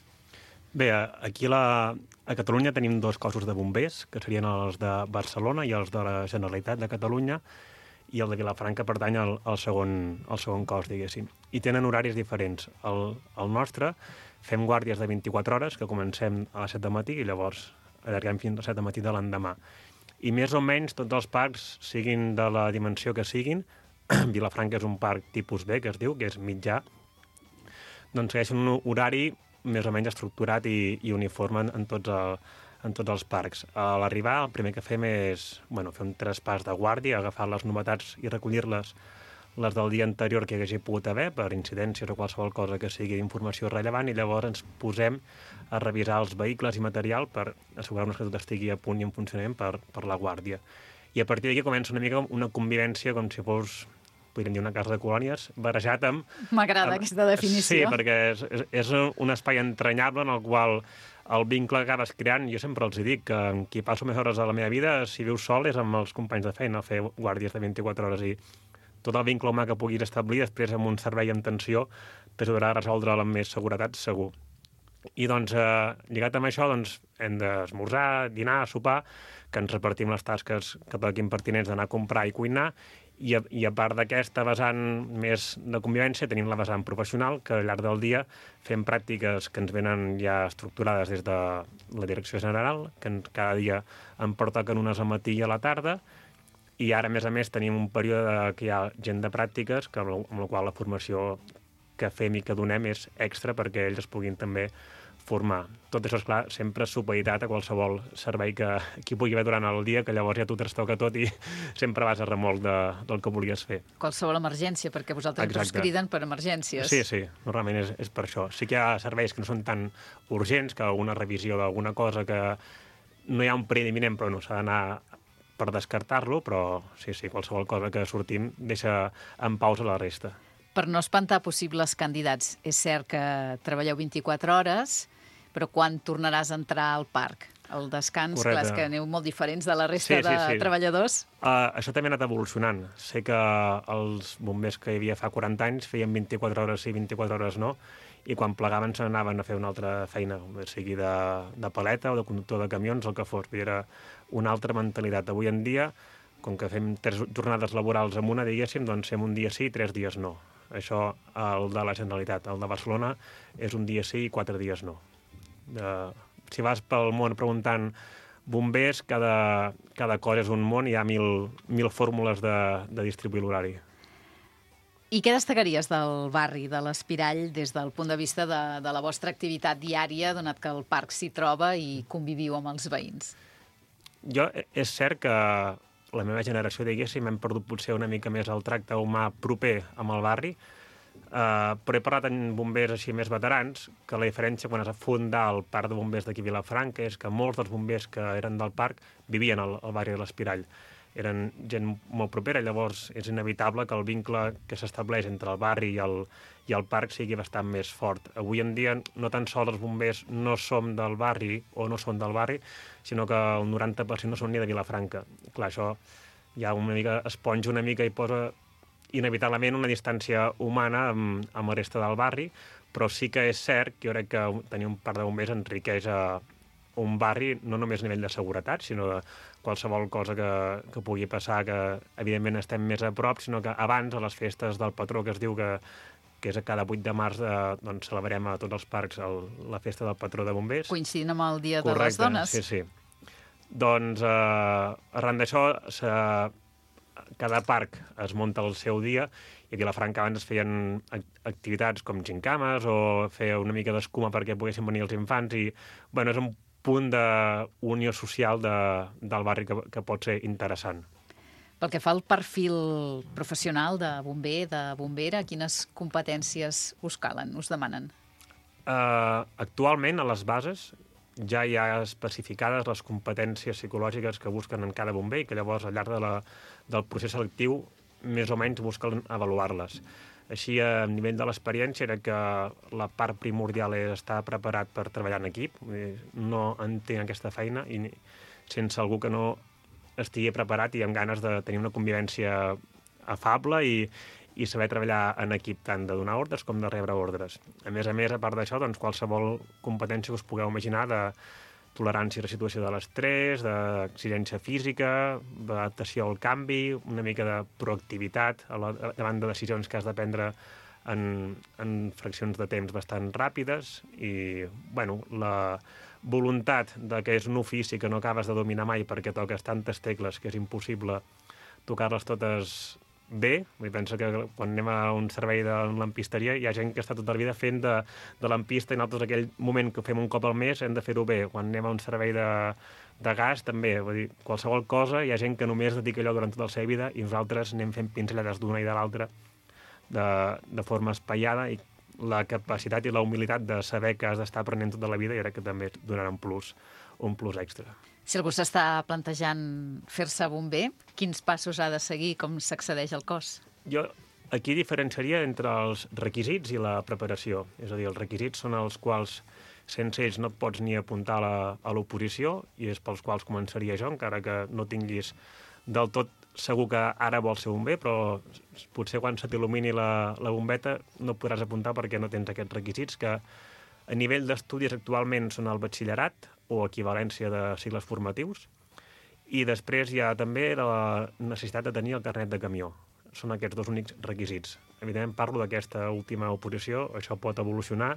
Bé, aquí a Catalunya tenim 2 cossos de bombers, que serien els de Barcelona i els de la Generalitat de Catalunya, i el de Vilafranca pertany al segon cos, diguéssim. I tenen horaris diferents. El nostre fem guàrdies de 24 hores, que comencem a les 7 del matí i llavors allarguem fins a les 7 del matí de l'endemà. I més o menys tots els parcs, siguin de la dimensió que siguin, Vilafranca és un parc tipus B, que es diu, que és mitjà, doncs segueixen un horari més o menys estructurat i uniforme en tots els parcs. A l'arribar, el primer que fem és fer un traspàs de guàrdia, agafar les novetats i recollir-les, les del dia anterior que hi hagi pogut haver, per incidències o qualsevol cosa que sigui d'informació rellevant, i llavors ens posem a revisar els vehicles i material per assegurar-nos que tot estigui a punt i en funcionament per la guàrdia. I a partir d'aquí comença una mica una convivència com si fos, podríem dir, una casa de colònies, barrejat amb... M'agrada aquesta definició. Sí, perquè és un espai entranyable en el qual el vincle que acabes creant, jo sempre els dic que amb qui passo més hores de la meva vida, si vius sol, és amb els companys de feina, fer guàrdies de 24 hores, i tot el vincle humà que puguis establir després amb un servei en tensió t'ajudarà a resoldre'l amb més seguretat, segur. I doncs, lligat amb això, hem d'esmorzar, dinar, sopar, que ens repartim les tasques que paguin pertinents d'anar a comprar i cuinar, i a part d'aquesta vessant més de convivència tenim la vessant professional, que al llarg del dia fem pràctiques que ens venen ja estructurades des de la direcció general, que cada dia en pertoquen unes al matí i a la tarda, i ara, a més, tenim un període que hi ha gent de pràctiques, amb la qual la formació que fem i que donem és extra perquè ells es puguin també formar. Tot això, esclar, sempre supeditat a qualsevol servei que hi pugui haver durant el dia, que llavors ja tu trastoca tot i sempre vas a remolc del que volies fer. Qualsevol emergència, perquè vosaltres us criden per emergències. Sí, normalment és per això. Sí que hi ha serveis que no són tan urgents, que una revisió d'alguna cosa que no hi ha un perill imminent, però no s'ha d'anar per descartar-lo, però sí, qualsevol cosa que sortim deixa en pausa la resta. Per no espantar possibles candidats, és cert que treballeu 24 hores, però quan tornaràs a entrar al parc? El descans, correcte. Clar, és que aneu molt diferents de la resta de treballadors. Això també ha anat evolucionant. Sé que els bombers que hi havia fa 40 anys feien 24 hores sí, 24 hores no, i quan plegaven se n'anaven a fer una altra feina, sigui de paleta o de conductor de camions, el que fos. Era una altra mentalitat. Avui en dia, com que fem 3 jornades laborals en una, diguéssim, doncs fem un dia sí i 3 dies no. Això, el de la Generalitat. El de Barcelona és un dia sí i 4 dies no. Si vas pel món preguntant bombers, cada cosa és un món, hi ha mil fórmules de distribuir l'horari. I què destacaries del barri de l'Espirall des del punt de vista de la vostra activitat diària, donat que el parc s'hi troba i conviviu amb els veïns? És cert que la meva generació, diguéssim, hem perdut potser una mica més el tracte humà proper amb el barri, però he parlat amb bombers així més veterans, que la diferència quan es va fundar el parc de bombers d'aquí a Vilafranca és que molts dels bombers que eren del parc vivien al barri de l'Espirall. Eren gent molt propera, llavors és inevitable que el vincle que s'estableix entre el barri i el parc sigui bastant més fort. Avui en dia no tan sols els bombers no som del barri o no són del barri, sinó que el 90% no són ni de Vilafranca. Clar, això ja es ponja una mica i posa inevitablement una distància humana amb la resta del barri, però sí que és cert que jo crec que tenir un parc de bombers enriqueix un barri no només a nivell de seguretat, sinó de qualsevol cosa que pugui passar, que evidentment estem més a prop, sinó que abans, a les festes del patró, que es diu que és a cada 8 de març, doncs celebrem a tots els parcs la festa del patró de bombers. Coincidint amb el Dia de les Dones. Sí. Doncs arran d'això, cada parc es munta el seu dia, i a Vilafranca abans es feien activitats com gincames o fer una mica d'escuma perquè poguessin venir els infants, i és un punt d'unió social del barri que pot ser interessant. Pel que fa al perfil professional de bomber, de bombera, quines competències us calen, us demanen? Actualment, a les bases, ja hi ha especificades les competències psicològiques que busquen en cada bomber, i que llavors, al llarg del procés selectiu, més o menys busquen avaluar-les. Així, a nivell de l'experiència, era que la part primordial és estar preparat per treballar en equip. No entenc aquesta feina i sense algú que no estigui preparat i amb ganes de tenir una convivència afable i saber treballar en equip, tant de donar ordres com de rebre ordres. A més, a part d'això, doncs, qualsevol competència que us pugueu imaginar de tolerància a la situació de l'estrès, d'exigència física, d'adaptació al canvi, una mica de proactivitat davant de decisions que has de prendre en fraccions de temps bastant ràpides i, bueno, la voluntat de que és un ofici que no acabes de dominar mai perquè toques tantes tecles que és impossible tocar-les totes bé. Vull pensar que quan anem a un servei de lampisteria hi ha gent que està tota la vida fent de lampista i nosaltres aquell moment que fem un cop al mes hem de fer-ho bé. Quan anem a un servei de gas també, vull dir, qualsevol cosa hi ha gent que només dedica allò durant tota la seva vida i nosaltres anem fent pinzellades d'una i de l'altra de forma espaiada i la capacitat i la humilitat de saber que has d'estar aprenent tota la vida i crec que també donarà un plus extra. Si algú s'està plantejant fer-se bomber, quins passos ha de seguir, com s'accedeix al cos? Jo aquí diferenciaria entre els requisits i la preparació. És a dir, els requisits són els quals sense ells no et pots ni apuntar a l'oposició i és pels quals començaria jo, encara que no tinguis del tot segur que ara vols ser bomber, però potser quan se t'il·lumini la bombeta no podràs apuntar perquè no tens aquests requisits que a nivell d'estudis actualment són el batxillerat o equivalència de cicles formatius i després hi ha també la necessitat de tenir el carnet de camió. Són aquests dos únics requisits. Evidentment parlo d'aquesta última oposició, això pot evolucionar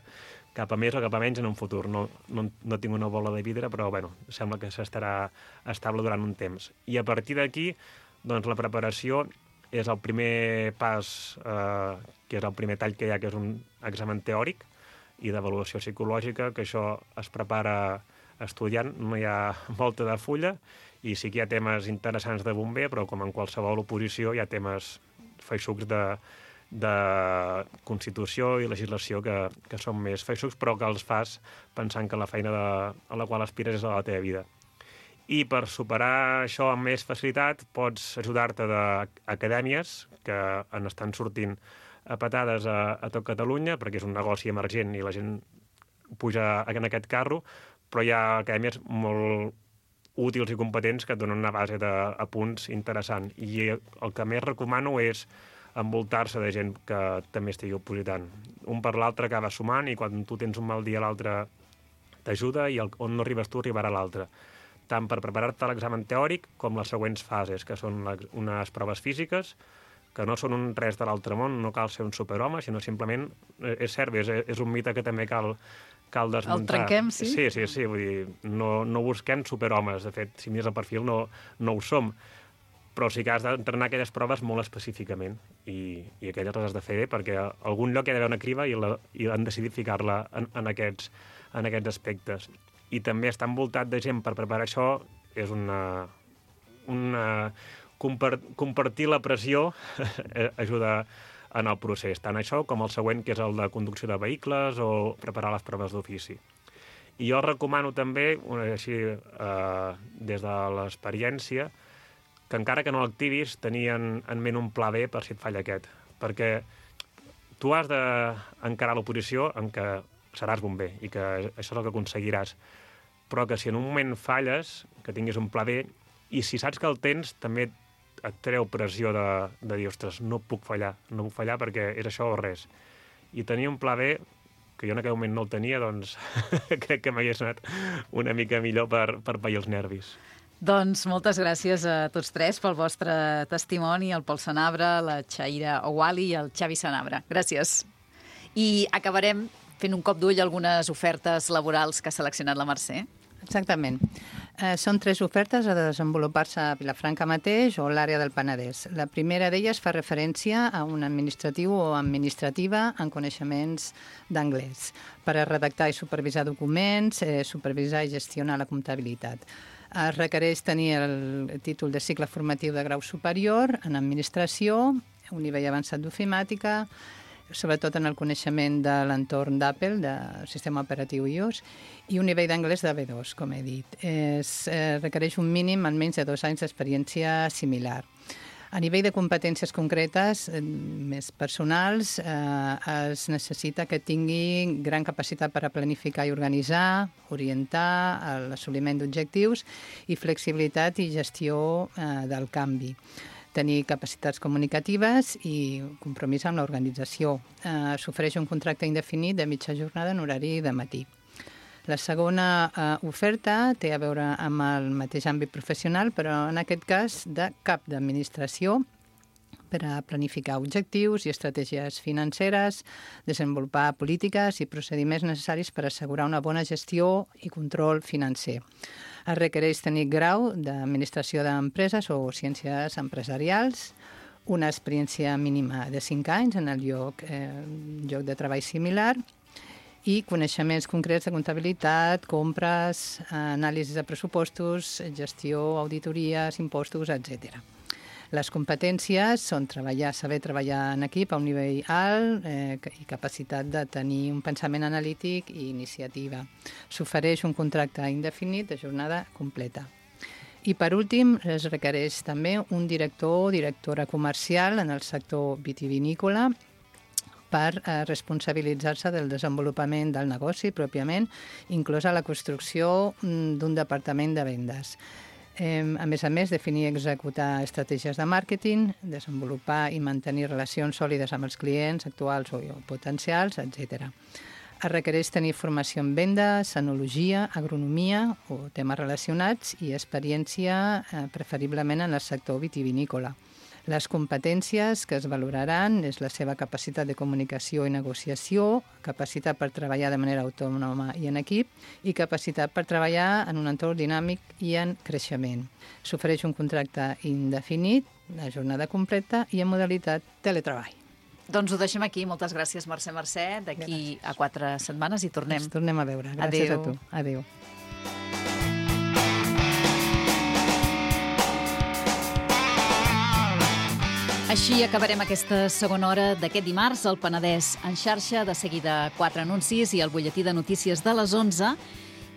cap a més o cap a menys en un futur. No tinc una bola de vidre, però bueno, sembla que s'estarà estable durant un temps. I a partir d'aquí, doncs la preparació és el primer pas, que és el primer tall que hi ha, que és un examen teòric i d'avaluació psicològica, que això es prepara estudiant, no hi ha volta de fulla, i sí que hi ha temes interessants de bomber, però com en qualsevol oposició hi ha temes feixucs de Constitució i legislació que són més feixucs, però que els fas pensant que la feina a la qual aspires és a la teva vida. I per superar això amb més facilitat pots ajudar-te d'acadèmies que estan sortint a patades a tot Catalunya, perquè és un negoci emergent i la gent puja en aquest carro, però hi ha acadèmies molt útils i competents que et donen una base d'apunts interessant. I el que més recomano és envoltar-se de gent que també estigui opositant. Un per l'altre acaba sumant i quan tu tens un mal dia l'altre t'ajuda i on no arribes tu arribarà l'altre. Tant per preparar-te a l'examen teòric com les següents fases, que són unes proves físiques, que no són res de l'altre món, no cal ser un superhome, sinó simplement, és cert, és un mite que també cal desmuntar. El trenquem, sí? Sí, vull dir, no busquem superhomes, de fet, si mires el perfil no ho som, però sí que has d'entrenar aquelles proves molt específicament i aquelles les has de fer bé perquè a algun lloc hi ha d'haver una criba i han decidit ficar-la en aquests aspectes. I també estar envoltat de gent per preparar això és compartir la pressió ajuda en el procés, tant això com el següent, que és el de conducció de vehicles o preparar les proves d'ofici. I jo recomano també, així, des de l'experiència, que encara que no l'activis, tenir en ment un pla B per si et falla aquest. Perquè tu has d'encarar l'oposició en què seràs bomber i que això és el que aconseguiràs. Però que si en un moment falles, que tinguis un pla B, i si saps que el tens, també et treu pressió de dir, ostres, no puc fallar perquè és això o res. I tenir un pla B, que jo en aquell moment no el tenia, doncs crec que m'hagués anat una mica millor per pair els nervis. Doncs moltes gràcies a tots tres pel vostre testimoni, el Pol Sanabra, la Chaira Ouali i el Xavi Sanabra. Gràcies. I acabarem fent un cop d'ull a algunes ofertes laborals que ha seleccionat la Mercè. Exactament. Són 3 ofertes a desenvolupar-se a Vilafranca mateix o l'àrea del Penedès. La primera d'elles fa referència a un administratiu o administrativa en coneixements d'anglès per a redactar i supervisar documents, supervisar i gestionar la comptabilitat. Es requereix tenir el títol de cicle formatiu de grau superior en administració, un nivell avançat d'ofimàtica, sobretot en el coneixement de l'entorn d'Apple, del sistema operatiu iOS, i un nivell d'anglès de B2, com he dit. Requereix un mínim almenys de 2 anys d'experiència similar. A nivell de competències concretes, més personals, es necessita que tingui gran capacitat per a planificar i organitzar, orientar l'assoliment d'objectius i flexibilitat i gestió del canvi. Tenir capacitats comunicatives i compromís amb l'organització. S'ofereix un contracte indefinit de mitja jornada en horari de matí. La segona oferta té a veure amb el mateix àmbit professional, però en aquest cas de cap d'administració per a planificar objectius i estratègies financeres, desenvolupar polítiques i procediments necessaris per assegurar una bona gestió i control financer. Es requereix tenir grau d'administració d'empreses o ciències empresarials, una experiència mínima de 5 anys en el lloc de treball similar i coneixements concrets de comptabilitat, compres, anàlisis de pressupostos, gestió, auditories, impostos, etc. Les competències són saber treballar en equip a un nivell alt i capacitat de tenir un pensament analític i iniciativa. S'ofereix un contracte indefinit de jornada completa. I, per últim, es requereix també un director o directora comercial en el sector vitivinícola per responsabilitzar-se del desenvolupament del negoci pròpiament, inclosa la construcció d'un departament de vendes. A més, definir i executar estratègies de màrqueting, desenvolupar i mantenir relacions sòlides amb els clients actuals o potencials, etc. Es requereix tenir formació en vendes, enologia, agronomia o temes relacionats i experiència preferiblement en el sector vitivinícola. Les competències que es valoraran és la seva capacitat de comunicació i negociació, capacitat per treballar de manera autònoma i en equip i capacitat per treballar en un entorn dinàmic i en creixement. S'ofereix un contracte indefinit, la jornada completa i en modalitat teletreball. Doncs ho deixem aquí. Moltes gràcies, Mercè. D'aquí a 4 setmanes i tornem. Ens tornem a veure. Gràcies a tu. Adéu. Així acabarem aquesta segona hora d'aquest dimarts, al Penedès en xarxa, de seguida 4 anuncis i el butlletí de notícies de les 11,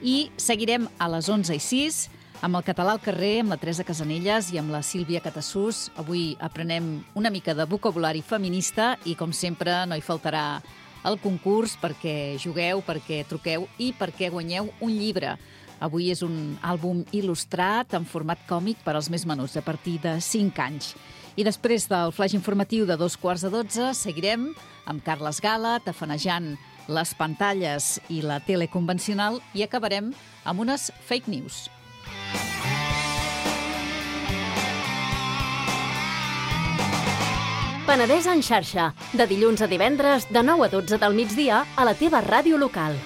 i seguirem a les 11:06 amb el Català al carrer, amb la Teresa Casanelles i amb la Sílvia Catassús. Avui aprenem una mica de vocabulari feminista i, com sempre, no hi faltarà el concurs perquè jugueu, perquè truqueu i perquè guanyeu un llibre. Avui és un àlbum il·lustrat en format còmic per als més menuts, a partir de 5 anys. I després del flaix informatiu de 11:45 seguirem amb Carles Gala tafanejant les pantalles i la tele convencional i acabarem amb unes fake news. Penedès en xarxa, de dilluns a divendres de 9 a 12 del migdia a la teva ràdio local.